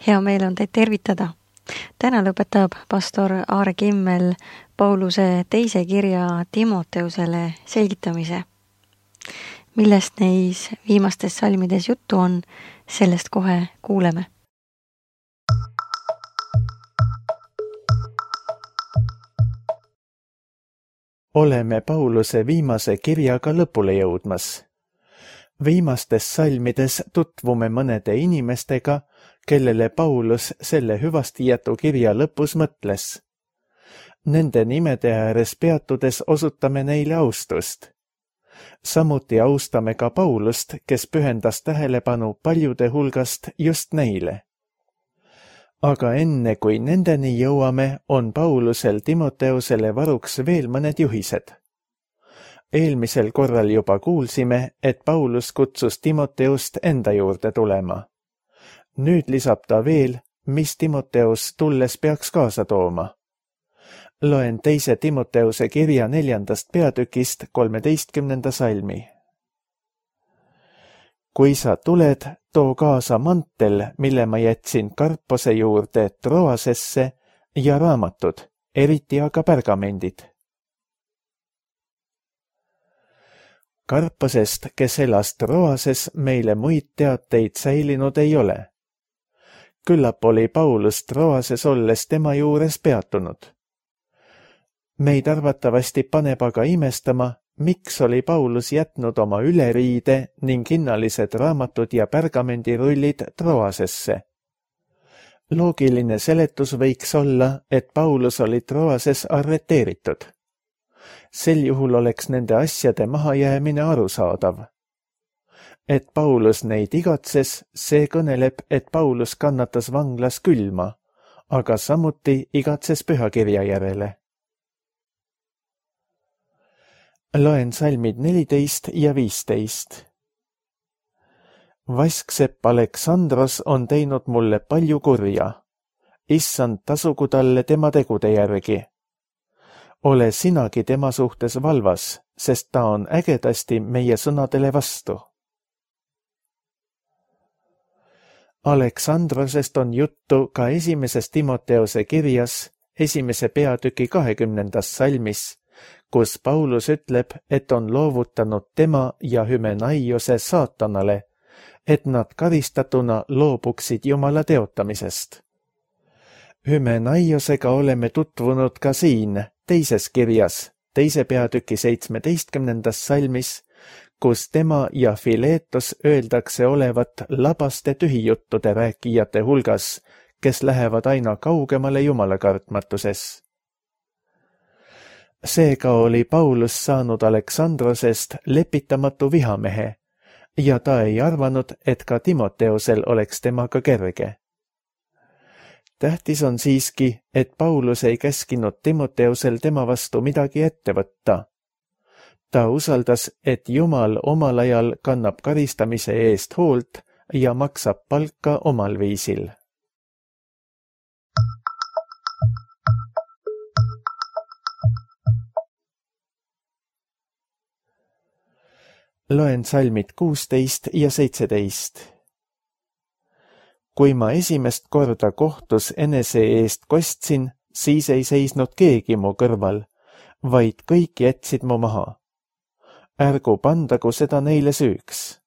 Hea meel on teid tervitada. Täna lõpetab pastor Aare Kimmel Pauluse teise kirja Timoteusele selgitamise. Millest neis viimastes salmides juttu on, sellest kohe kuuleme. Oleme Pauluse viimase kirjaga lõpule jõudmas. Viimastes salmides tutvume mõnede inimestega, kellele Paulus selle hüvastijätu kirja lõpus mõtles. Nende nimede ääres peatudes osutame neile austust. Samuti austame ka Paulust, kes pühendas tähelepanu paljude hulgast just neile. Aga enne kui nendeni jõuame, on Paulusel Timoteusele varuks veel mõned juhised. Eelmisel korral juba kuulsime, et Paulus kutsus Timoteust enda juurde tulema. Nüüd lisab ta veel, mis Timoteus tulles peaks kaasa tooma. Loen teise Timoteuse kirja 4. peatükist 13. salmi. Kui sa tuled, too kaasa mantel, mille ma jätsin Karpose juurde Troasesse ja raamatud, eriti aga pergamendid. Karposest, kes elas Troases, meile muid teateid säilinud ei ole. Küllap oli Paulus Troases olles tema juures peatunud. Meid arvatavasti paneb aga imestama, miks oli Paulus jätnud oma üleriide ning hinnalised raamatud ja pergamendirullid Troasesse. Loogiline seletus võiks olla, et Paulus oli Troases arreteeritud. Sel juhul oleks nende asjade mahajäämine arusaadav. Et Paulus neid igatses, see kõneleb, et Paulus kannatas vanglas külma, aga samuti igatses pühakirja järele. Loen salmid 14 ja 15. Vasksepp Aleksandros on teinud mulle palju kurja. Issand, tasugu talle tema tegude järgi. Ole sinagi tema suhtes valvas, sest ta on ägedasti meie sõnadele vastu. Aleksandrosest on juttu ka esimeses Timoteuse kirjas, 1. peatüki 20. salmis, kus Paulus ütleb, et on loovutanud tema ja Hymenaiose saatanale, et nad karistatuna loobuksid Jumala teotamisest. Hymenaiosega oleme tutvunud ka siin, teises kirjas, 2. peatüki 17. salmis, kus tema ja Fileetos öeldakse olevat labaste tühijuttude rääkijate hulgas, kes lähevad aina kaugemale Jumala kartmatuses. Seega oli Paulus saanud Aleksandrosest lepitamatu vihamehe ja ta ei arvanud, et ka Timoteusel oleks temaga kerge. Tähtis on siiski, et Paulus ei käskinud Timoteusel tema vastu midagi ette võtta. Ta usaldas, et Jumal omal ajal kannab karistamise eest hoolt ja maksab palka omal viisil. Loen salmid 16 ja 17. Kui ma esimest korda kohtus enese eest kostsin, siis ei seisnud keegi mu kõrval, vaid kõik jätsid mu maha. Ärgu pandagu seda neile süüks.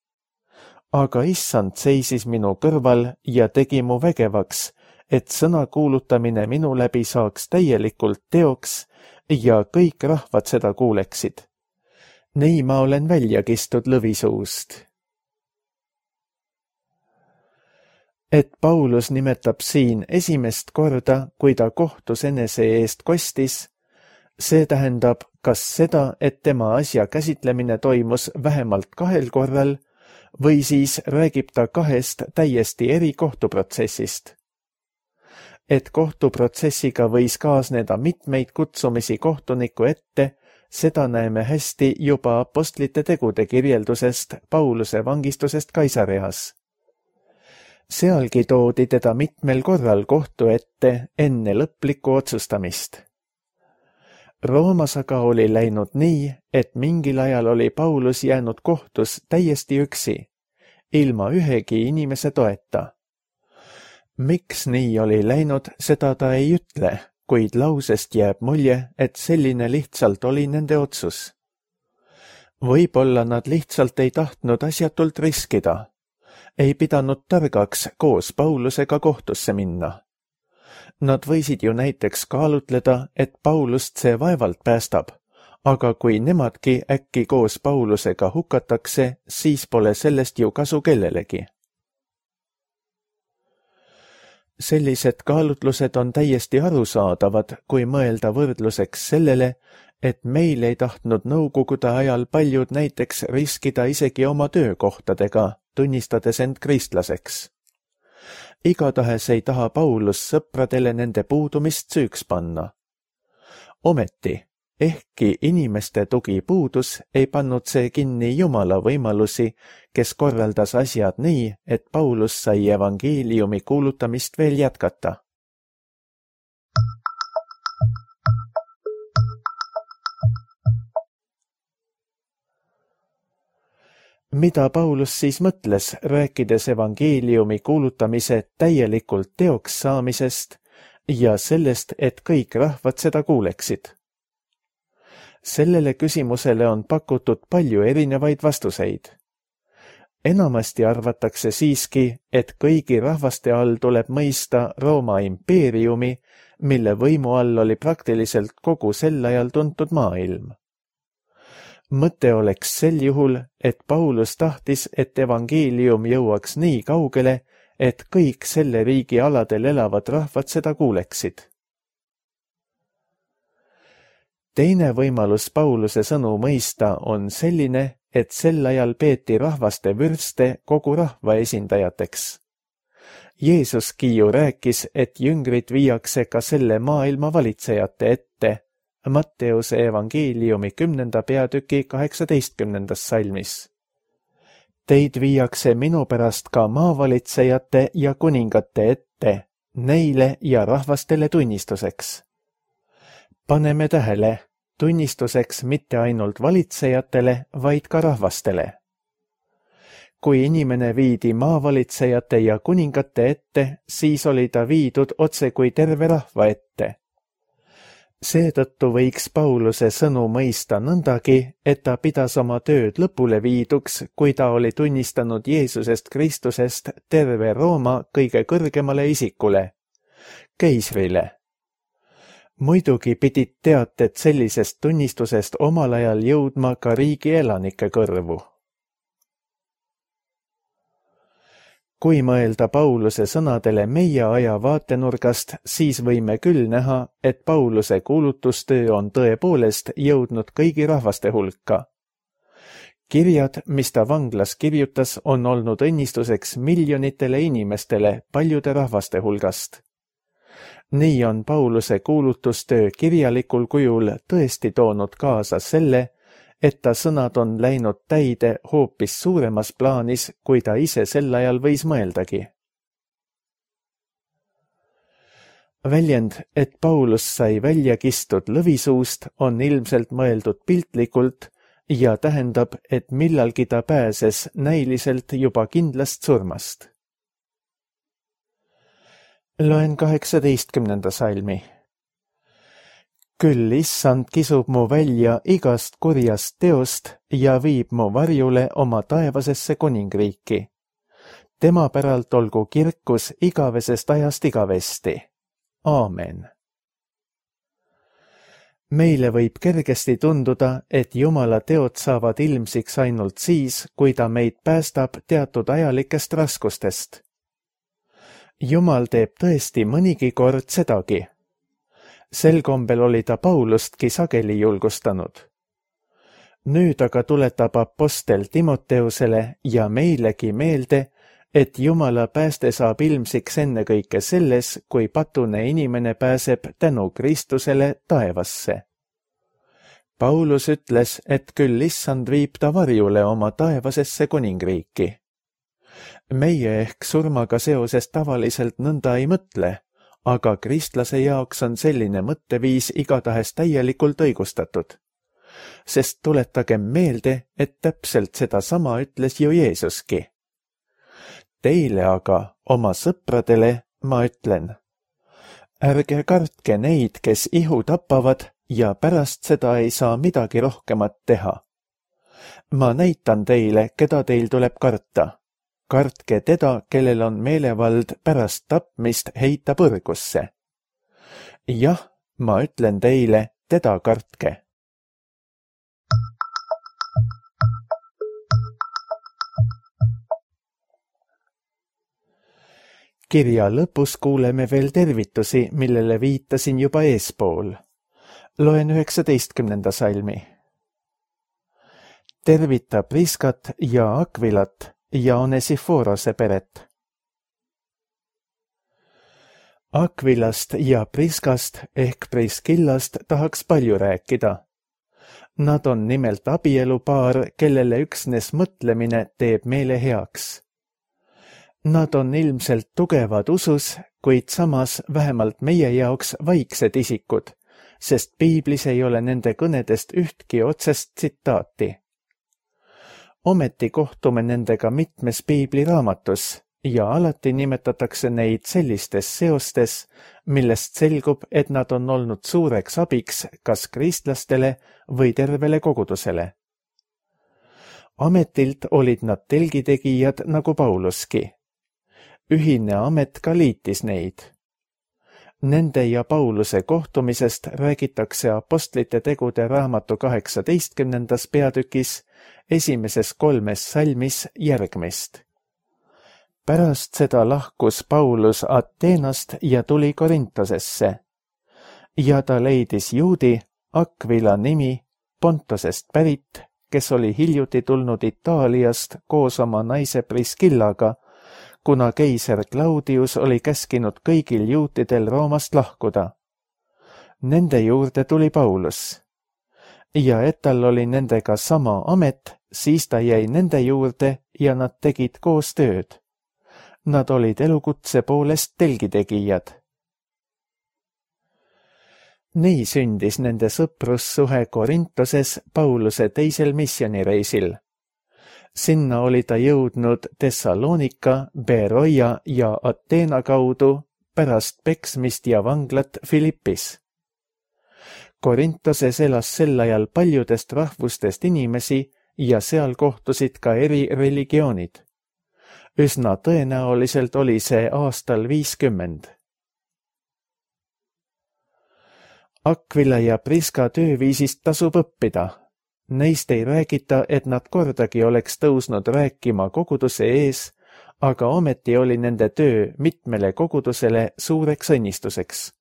Aga issand seisis minu kõrval ja tegi mu vägevaks, et sõna kuulutamine minu läbi saaks täielikult teoks ja kõik rahvad seda kuuleksid. Nii ma olen välja kistud lõvisuust. Et Paulus nimetab siin esimest korda, kui ta kohtus enese eest kostis, see tähendab kas seda, et tema asja käsitlemine toimus vähemalt 2 korral või siis räägib ta 2 täiesti eri kohtuprotsessist. Et kohtuprotsessiga võis kaasneda mitmeid kutsumisi kohtuniku ette, seda näeme hästi juba apostlite tegude kirjeldusest Pauluse vangistusest Kaisareas. Sealgi toodi teda mitmel korral kohtu ette enne lõplikku otsustamist. Roomas aga oli läinud nii, et mingil ajal oli Paulus jäänud kohtus täiesti üksi, ilma ühegi inimese toeta. Miks nii oli läinud, seda ta ei ütle, kuid lausest jääb mulje, et selline lihtsalt oli nende otsus. Võib-olla nad lihtsalt ei tahtnud asjatult riskida. Ei pidanud targaks koos Paulusega kohtusse minna. Nad võisid ju näiteks kaalutleda, et Paulust see vaevalt päästab, aga kui nemadki äkki koos Paulusega hukatakse, siis pole sellest ju kasu kellelegi. Sellised kaalutlused on täiesti arusaadavad, kui mõelda võrdluseks sellele, et meil ei tahtnud nõukogude ajal paljud näiteks riskida isegi oma töökohtadega, tunnistades end kristlaseks. Igatahes ei taha Paulus sõpradele nende puudumist süüks panna. Ometi, ehkki inimeste tugi puudus, ei pannud see kinni Jumala võimalusi, kes korraldas asjad nii, et Paulus sai evangeeliumi kuulutamist veel jätkata. Mida Paulus siis mõtles, rääkides evangeeliumi kuulutamise täielikult teoks saamisest ja sellest, et kõik rahvad seda kuuleksid? Sellele küsimusele on pakutud palju erinevaid vastuseid. Enamasti arvatakse siiski, et kõigi rahvaste all tuleb mõista Rooma impeeriumi, mille võimu all oli praktiliselt kogu sel ajal tuntud maailm. Mõte oleks sel juhul, et Paulus tahtis, et evangeelium jõuaks nii kaugele, et kõik selle riigi aladel elavad rahvad seda kuuleksid. Teine võimalus Pauluse sõnu mõista on selline, et sel ajal peeti rahvaste vürste kogu rahva esindajateks. Jeesuski ju rääkis, et jüngrid viiakse ka selle maailma valitsejate ette, Matteuse evangeeliumi 10. peatüki 18. salmis. Teid viiakse minu pärast ka maavalitsejate ja kuningate ette, neile ja rahvastele tunnistuseks. Paneme tähele, tunnistuseks mitte ainult valitsejatele, vaid ka rahvastele. Kui inimene viidi maavalitsejate ja kuningate ette, siis oli ta viidud otse kui terve rahva ette. Seetõttu võiks Pauluse sõnu mõista nõndagi, et ta pidas oma tööd lõpule viiduks, kui ta oli tunnistanud Jeesusest Kristusest terve Rooma kõige kõrgemale isikule, keisrile. Muidugi pidid teated sellisest tunnistusest omal ajal jõudma ka riigi elanike kõrvu. Kui mõelda Pauluse sõnadele meie aja vaatenurgast, siis võime küll näha, et Pauluse kuulutustöö on tõepoolest jõudnud kõigi rahvaste hulka. Kirjad, mis ta vanglas kirjutas, on olnud õnnistuseks miljonitele inimestele paljude rahvaste hulgast. Nii on Pauluse kuulutustöö kirjalikul kujul tõesti toonud kaasa selle, et ta sõnad on läinud täide hoopis suuremas plaanis, kui ta ise sel ajal võis mõeldagi. Väljend, et Paulus sai välja kistud lõvisuust, on ilmselt mõeldud piltlikult ja tähendab, et millalgi ta pääses näiliselt juba kindlast surmast. Loen 18. salmi. Küll issand kisub mu välja igast kurjast teost ja viib mu varjule oma taevasesse kuningriiki. Tema päralt olgu kirkus igavesest ajast igavesti. Aamen. Meile võib kergesti tunduda, et Jumala teod saavad ilmsiks ainult siis, kui ta meid päästab teatud ajalikest raskustest. Jumal teeb tõesti mõnigi kord sedagi. Sel kombel oli ta Paulustki sageli julgustanud. Nüüd aga tuletab apostel Timoteusele ja meilegi meelde, et Jumala pääste saab ilmsiks ennekõike selles, kui patune inimene pääseb tänu Kristusele taevasse. Paulus ütles, et küll issand viib ta varjule oma taevasesse kuningriiki. Meie ehk surmaga seoses tavaliselt nõnda ei mõtle, aga kristlase jaoks on selline mõtteviis igatahes täielikult õigustatud. Sest tuletagem meelde, et täpselt sedasama ütles ju Jeesuski. Teile aga, oma sõpradele, ma ütlen, ärge kartke neid, kes ihu tapavad ja pärast seda ei saa midagi rohkemat teha. Ma näitan teile, keda teil tuleb karta. Kartke teda, kellel on meelevald pärast tapmist heita põrgusse. Jah, ma ütlen teile, teda kartke. Kirja lõpus kuuleme veel tervitusi, millele viitasin juba eespool. Loen 19. salmi. Tervita Priskat ja Akvilat ja Onesiforose peret. Akvilast ja Priskast ehk Priskillast tahaks palju rääkida. Nad on nimelt abielupaar, kellele üksnes mõtlemine teeb meele heaks. Nad on ilmselt tugevad usus, kuid samas vähemalt meie jaoks vaiksed isikud, sest piiblis ei ole nende kõnedest ühtki otsest tsitaati. Ometi kohtume nendega mitmes piibliraamatus ja alati nimetatakse neid sellistes seostes, millest selgub, et nad on olnud suureks abiks kas kristlastele või tervele kogudusele. Ametilt olid nad telgitegijad nagu Pauluski. Ühine amet ka liitis neid. Nende ja Pauluse kohtumisest räägitakse Apostlite tegude raamatu 18. peatükis esimeses 3 salmis järgmist. Pärast seda lahkus Paulus Ateenast ja tuli Korintosesse. Ja ta leidis juudi, Akvila nimi, Pontosest pärit, kes oli hiljuti tulnud Itaaliast koos oma naise Priskillaga, kuna keiser Claudius oli käskinud kõigil juutidel Roomast lahkuda. Nende juurde tuli Paulus. Ja et tal oli nendega sama amet, siis ta jäi nende juurde ja nad tegid koos tööd. Nad olid elukutse poolest telgitegijad. Nii sündis nende sõprussuhe Korintoses Pauluse teisel missioonireisil. Sinna oli ta jõudnud Thessalonika, Beroia ja Ateena kaudu pärast peksmist ja vanglat Filippis. Korintoses elas sel ajal paljudest rahvustest inimesi ja seal kohtusid ka eri religioonid. Üsna tõenäoliselt oli see aastal 50. Akvila ja Priska tööviisist tasub õppida. Neist ei räägita, et nad kordagi oleks tõusnud rääkima koguduse ees, aga ometi oli nende töö mitmele kogudusele suureks õnnistuseks.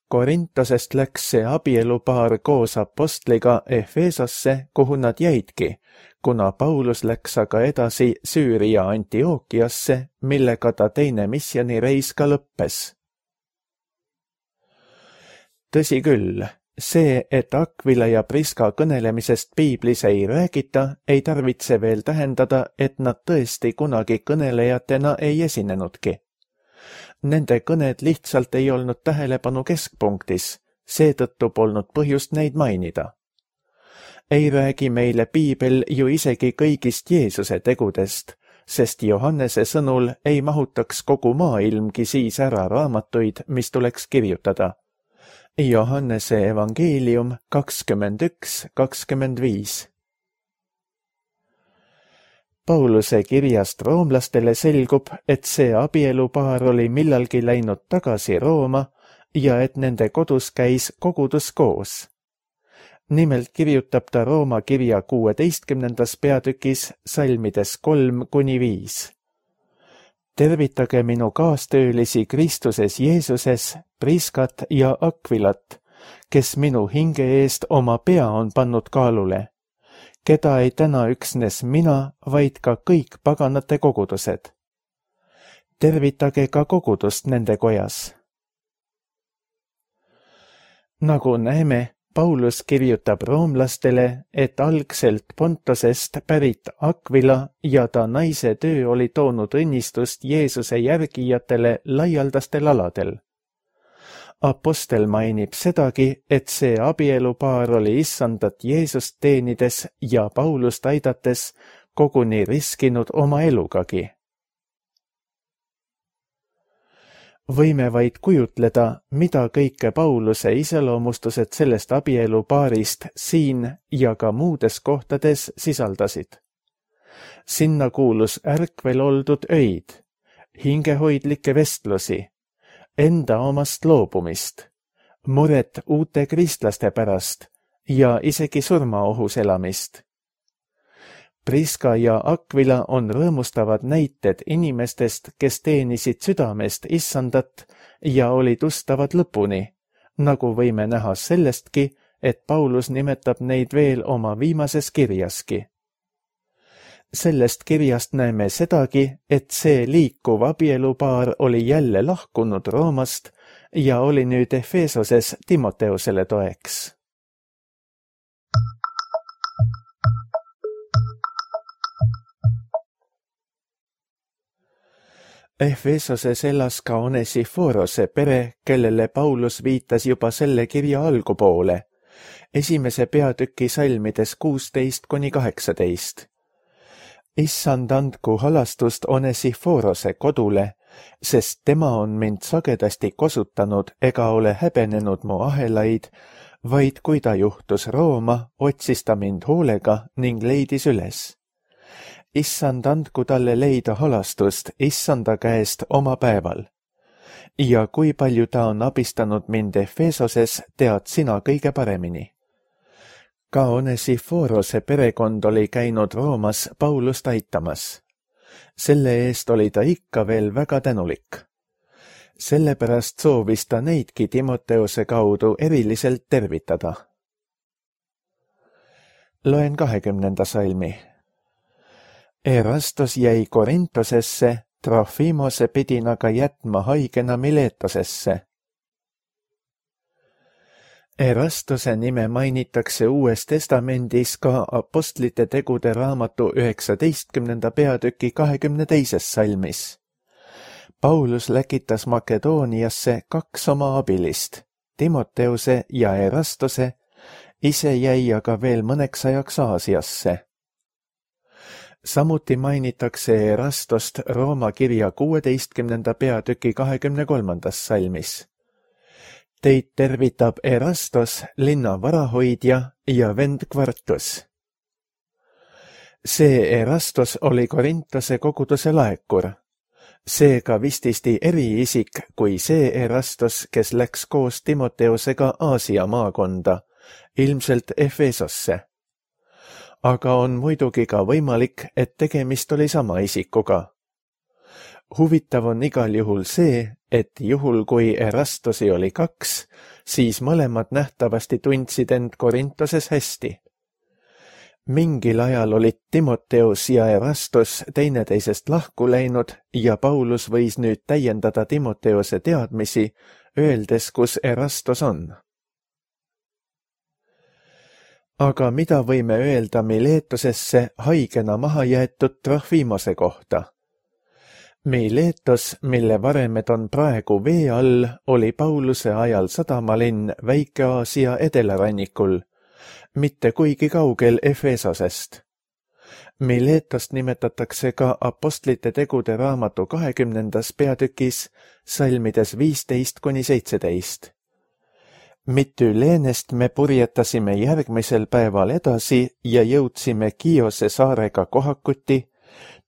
Korintosest läks see abielupaar koos apostliga Efesosse, kuhu nad jäidki, kuna Paulus läks aga edasi Süüria Antiookiasse, millega ta teine missioonireis ka lõppes. Tõsi küll, see, et Akvila ja Priska kõnelemisest piiblis ei räägita, ei tarvitse veel tähendada, et nad tõesti kunagi kõnelejatena ei esinenudki. Nende kõned lihtsalt ei olnud tähelepanu keskpunktis, seetõttu polnud põhjust neid mainida. Ei räägi meile piibel ju isegi kõigist Jeesuse tegudest, sest Johannese sõnul ei mahutaks kogu maailmgi siis ära raamatuid, mis tuleks kirjutada. Johannese evangeelium 21:25. Pauluse kirjast roomlastele selgub, et see abielupaar oli millalgi läinud tagasi Rooma ja et nende kodus käis kogudus koos. Nimelt kirjutab ta Rooma kirja 16. peatükis salmides 3-5. Tervitage minu kaastöölisi Kristuses Jeesuses, Priskat ja Akvilat, kes minu hinge eest oma pea on pannud kaalule, keda ei täna üksnes mina, vaid ka kõik paganate kogudused. Tervitage ka kogudust nende kojas. Nagu näeme, Paulus kirjutab roomlastele, et algselt Pontosest pärit Akvila ja ta naise töö oli toonud õnnistust Jeesuse järgijatele laialdastel aladel. Apostel mainib sedagi, et see abielupaar oli issandat Jeesust teenides ja Paulust aidates koguni riskinud oma elugagi. võime vaid kujutleda, mida kõike Pauluse iseloomustused sellest abielupaarist siin ja ka muudes kohtades sisaldasid. Sinna kuulus ärkvel oldud öid, hingehoidlikke vestlusi, enda omast loobumist, muret uute kristlaste pärast ja isegi surmaohus elamist. Priska ja Aquila on rõõmustavad näited inimestest, kes teenisid südamest issandat ja olid ustavad lõpuni, nagu võime näha sellestki, et Paulus nimetab neid veel oma viimases kirjaski. Sellest kirjast näeme sedagi, et see liikuv abielupaar oli jälle lahkunud Roomast ja oli nüüd Efesoses Timoteusele toeks. Efesoses elas ka Onesiforose pere, kellele Paulus viitas juba selle kirja algupoole, esimese peatüki salmides 16–18. Issand andku halastust Onesiforose kodule, sest tema on mind sagedasti kosutanud ega ole häbenenud mu ahelaid, vaid kui ta juhtus Rooma, otsis ta mind hoolega ning leidis üles. Issand andku talle leida halastust issanda käest oma päeval. Ja kui palju ta on abistanud mind Efesoses, tead sina kõige paremini. Ka Onesiforose perekond oli käinud Roomas Paulust aitamas. Selle eest oli ta ikka veel väga tänulik. Sellepärast soovis ta neidki Timoteuse kaudu eriliselt tervitada. Loen 20. salmi. Erastos jäi Korintosesse, Trofimose pidin aga jätma haigena Miletosesse. Erastose nime mainitakse Uues Testamendis ka Apostlite tegude raamatu 19. peatüki 22. salmis. Paulus läkitas Makedooniasse 2 oma abilist, Timoteuse ja Erastose, ise jäi aga veel mõneks ajaks Aasiasse. Samuti mainitakse Erastost Rooma kirja 16. peatüki 23. salmis. Teid tervitab Erastos, linna varahoidja ja vend Kvartus. See Erastos oli Korintose koguduse laekur. Seega vististi eriisik kui see Erastos, kes läks koos Timoteusega Aasia maakonda, ilmselt Efesosse. Aga on muidugi ka võimalik, et tegemist oli sama isikuga. Huvitav on igal juhul see, et juhul kui Erastosi oli 2, siis mõlemad nähtavasti tundsid end Korintoses hästi. Mingil ajal olid Timoteus ja Erastos teineteisest lahku läinud ja Paulus võis nüüd täiendada Timoteuse teadmisi, öeldes, kus Erastos on. Aga mida võime öelda Miletosesse haigena maha jäetud Trofimose kohta? Miletos, mille varemed on praegu vee all, oli Pauluse ajal sadamalinn Väike-Aasia edelarannikul, mitte kuigi kaugel Efesosest. Miletost nimetatakse ka Apostlite tegude raamatu 20. peatükis salmides 15–17. Mityleenest me purjetasime järgmisel päeval edasi ja jõudsime Kiose saarega kohakuti,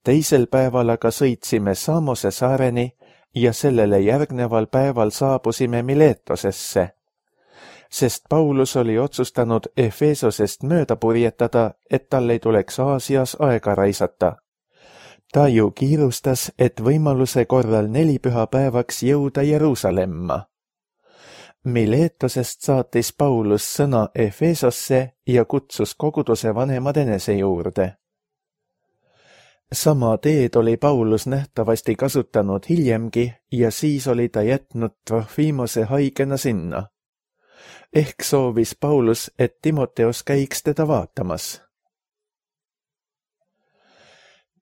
teisel päeval aga sõitsime Samose saareni ja sellele järgneval päeval saabusime Miletosesse, sest Paulus oli otsustanud Efesosest mööda purjetada, et tal ei tuleks Aasias aega raisata. Ta ju kiirustas, et võimaluse korral 4 pühapäevaks jõuda Jeruusalemma. Miletosest saatis Paulus sõna Efesosse ja kutsus koguduse vanemad enese juurde. Sama teed oli Paulus nähtavasti kasutanud hiljemgi ja siis oli ta jätnud Trofimose haigena sinna. Ehk soovis Paulus, et Timoteus käiks teda vaatamas.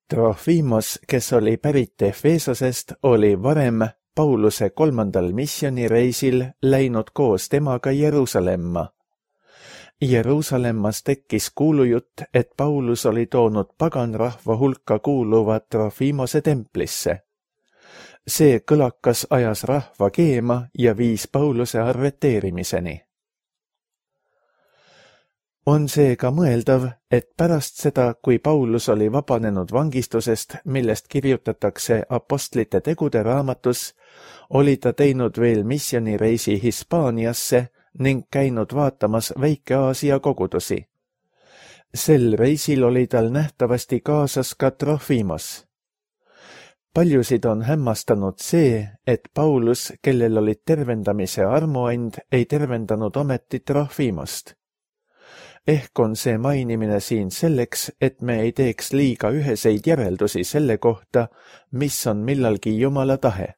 Trofimos, kes oli pärit Efesosest, oli varem Pauluse 3. missioonireisil läinud koos temaga Jeruusalemma. Jeruusalemmas tekkis kuulujutt, et Paulus oli toonud paganrahva hulka kuuluva Trofimose templisse. See kõlakas ajas rahva keema ja viis Pauluse arreteerimiseni. On seega mõeldav, et pärast seda, kui Paulus oli vabanenud vangistusest, millest kirjutatakse Apostlite tegude raamatus, oli ta teinud veel missioonireisi Hispaaniasse ning käinud vaatamas Väike-Aasia kogudusi. Sel reisil oli tal nähtavasti kaasas ka Trofimos. Paljusid on hämmastanud see, et Paulus, kellel olid tervendamise armuand, ei tervendanud ometi Trofimost. Ehk on see mainimine siin selleks, et me ei teeks liiga üheseid järeldusi selle kohta, mis on millalgi Jumala tahe.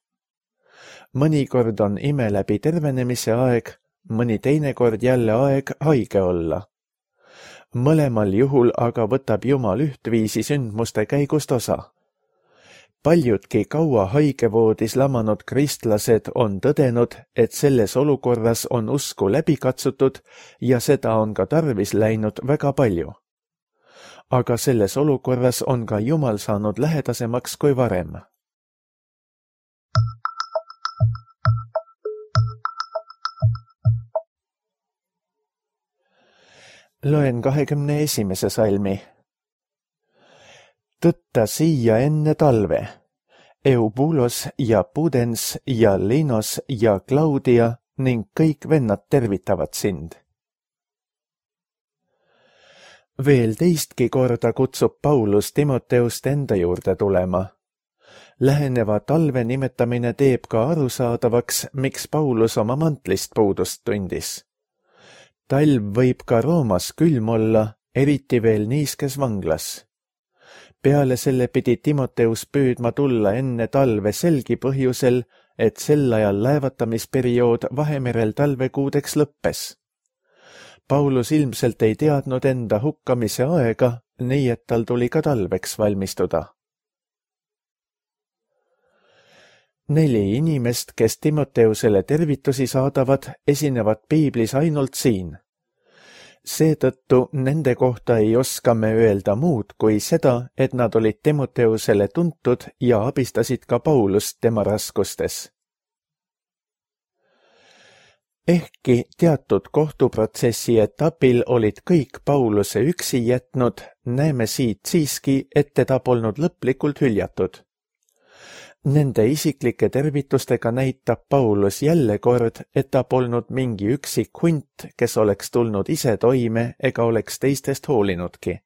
Mõnikord on ime läbi tervenemise aeg, mõni teinekord jälle aeg haige olla. Mõlemal juhul aga võtab Jumal ühtviisi sündmuste käigust osa. Paljudki kaua haigevoodis lamanud kristlased on tõdenud, et selles olukorras on usku läbi katsutud ja seda on ka tarvis läinud väga palju. Aga selles olukorras on ka Jumal saanud lähedasemaks kui varem. Loen 21. salmi. Tõtta siia enne talve. Eubulos ja Pudens ja Linos ja Claudia ning kõik vennad tervitavad sind. Veel teistki korda kutsub Paulus Timoteust enda juurde tulema. Läheneva talve nimetamine teeb ka arusaadavaks, miks Paulus oma mantlist puudust tundis. Talv võib ka Roomas külm olla, eriti veel niiskes vanglas. Peale selle pidi Timoteus püüdma tulla enne talve selgi põhjusel, et sel ajal laevatamisperiood Vahemerel talvekuudeks lõppes. Paulus ilmselt ei teadnud enda hukkamise aega, nii et tal tuli ka talveks valmistuda. 4 inimest, kes Timoteusele tervitusi saadavad, esinevad piiblis ainult siin. Seetõttu nende kohta ei oska me öelda muud kui seda, et nad olid Timoteusele tuntud ja abistasid ka Paulust tema raskustes. Ehkki teatud kohtuprotsessi etapil olid kõik Pauluse üksi jätnud, näeme siit siiski, et teda polnud lõplikult hüljatud. Nende isiklike tervitustega näitab Paulus jälle kord, et ta polnud mingi üksik hunt, kes oleks tulnud ise toime ega oleks teistest hoolinudki.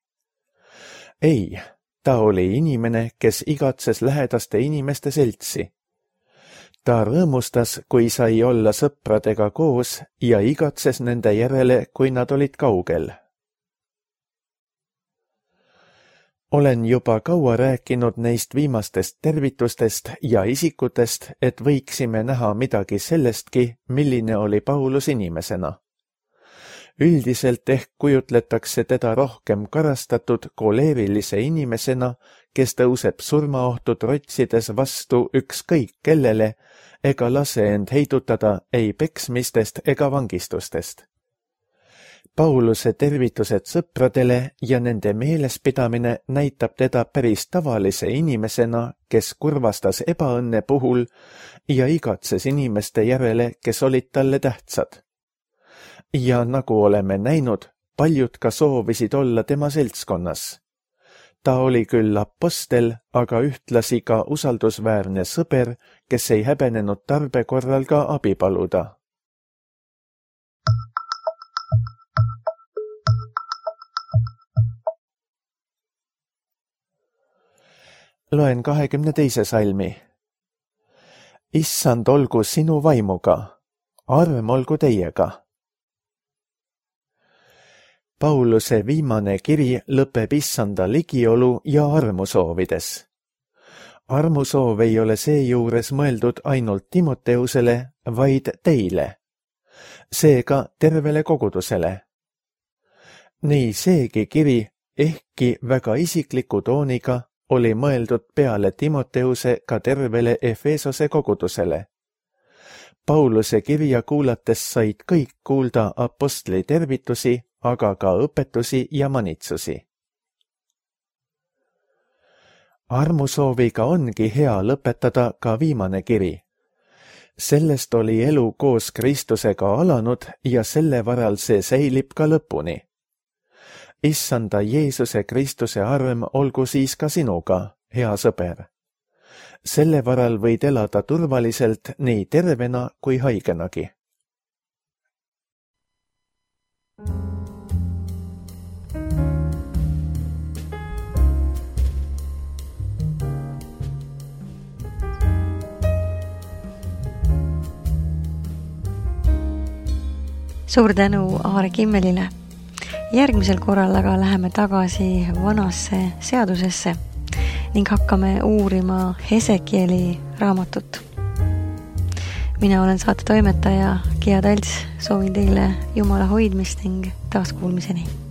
Ei, ta oli inimene, kes igatses lähedaste inimeste seltsi. Ta rõõmustas, kui sai olla sõpradega koos ja igatses nende järele, kui nad olid kaugel. Olen juba kaua rääkinud neist viimastest tervitustest ja isikutest, et võiksime näha midagi sellestki, milline oli Paulus inimesena. Üldiselt ehk kujutletakse teda rohkem karastatud koleerilise inimesena, kes tõuseb surmaohtu trotsides vastu ükskõik kellele ega lase end heidutada ei peksmistest ega vangistustest. Pauluse tervitused sõpradele ja nende meelespidamine näitab teda päris tavalise inimesena, kes kurvastas ebaõnne puhul ja igatses inimeste järele, kes olid talle tähtsad. Ja nagu oleme näinud, paljud ka soovisid olla tema seltskonnas. Ta oli küll apostel, aga ühtlasi ka usaldusväärne sõber, kes ei häbenenud tarbe korral ka abi paluda. Loen 22. salmi. Issand olgu sinu vaimuga, arm olgu teiega. Pauluse viimane kiri lõpeb issanda ligiolu ja armu soovides. Armusoov ei ole seejuures mõeldud ainult Timoteusele, vaid teile. Seega tervele kogudusele. Nii seegi kiri, ehkki väga isikliku tooniga, oli mõeldud peale Timoteuse ka tervele Efesose kogudusele. Pauluse kirja kuulates said kõik kuulda apostli tervitusi, aga ka õpetusi ja manitsusi. armusooviga ongi hea lõpetada ka viimane kiri. Sellest oli elu koos Kristusega alanud ja selle varal see säilib ka lõpuni. Issanda Jeesuse Kristuse arm olgu siis ka sinuga, hea sõber. Selle varal võid elada turvaliselt nii tervena kui haigenagi. Suur tänu Aare Kimmelile. Järgmisel korral aga läheme tagasi vanasse seadusesse ning hakkame uurima Hesekieli raamatut. Mina olen saate toimetaja Gia Talts, soovin teile Jumala hoidmist ning taaskuulmiseni.